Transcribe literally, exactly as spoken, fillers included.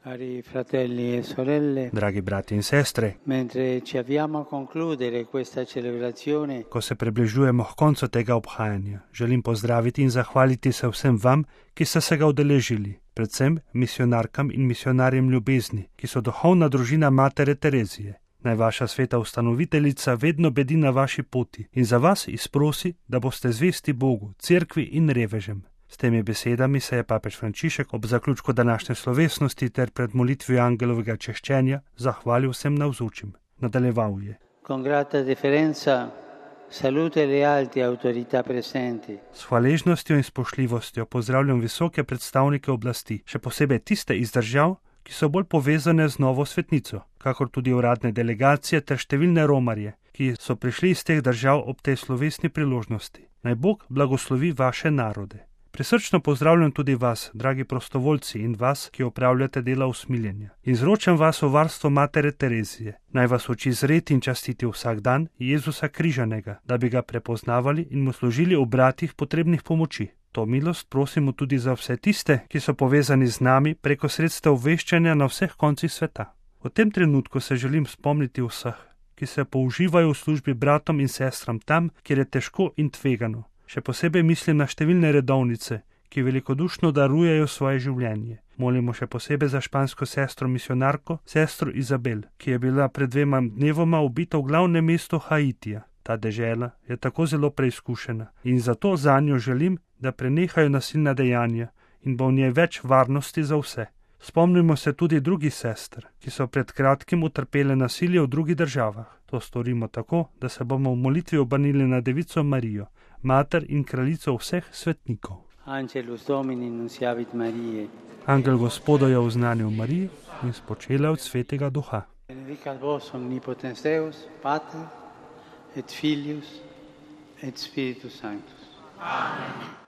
Cari fratelli e sorelle, Dragi brati in sestre, mentre ci avviamo a concludere questa celebrazione, ko se približujemo k koncu tega obhajanja, želim pozdraviti in zahvaliti se vsem vam, ki ste se ga udeležili, predvsem misionarkam in misionarjem ljubezni, ki so duhovna družina Matere Terezije. Naj vaša sveta ustanoviteljica vedno bedi na vaši poti in za vas izprosi, da boste zvesti Bogu, cerkvi in revežem. S temi besedami se je papež Frančišek ob zaključku današnje slovesnosti ter pred molitvijo angelovega češčenja zahvalil vsem navzočim. Nadaljeval je: con grata deferenza salute le alte autorità presenti. S hvaležnostjo in spoštljivostjo pozdravljam visoke predstavnike oblasti, še posebej tiste iz držav, ki so bolj povezane z novo svetnico, kakor tudi uradne delegacije ter številne romarje, ki so prišli iz teh držav ob tej slovesni priložnosti. Naj Bog blagoslovi vaše narode. Prisrčno pozdravljam tudi vas, dragi prostovoljci, in vas, ki opravljate dela usmiljenja. In zročam vas v varstvo Matere Terezije. Naj vas uči zreti in častiti vsak dan Jezusa križanega, da bi ga prepoznavali in mu služili v bratih potrebnih pomoči. To milost prosimo tudi za vse tiste, ki so povezani z nami preko sredstev obveščanja na vseh koncih sveta. V tem trenutku se želim spomniti vseh, ki se použivajo v službi bratom in sestram tam, kjer je težko in tvegano. Še posebej mislim na številne redovnice, ki velikodušno darujejo svoje življenje. Molimo še posebej za špansko sestro misionarko, sestro Izabel, ki je bila pred dvema dnevoma ubita v glavnem mestu Haitija. Ta dežela je tako zelo preizkušena in zato zanjo želim, da prenehajo nasilna dejanja in bo v njej več varnosti za vse. Spomnimo se tudi drugih sester, ki so pred kratkim utrpele nasilje v drugih državah. To storimo tako, da se bomo v molitvi obrnili na Devico Marijo, mater in kraljico vseh svetnikov. Angelus Domini nunciavit Mariae. Angel Gospoda je oznanil Marijo in spočela od Svetega Duha. Benedicat vos omnipotens Deus, Pater et Filius et Spiritus Sanctus. Amen.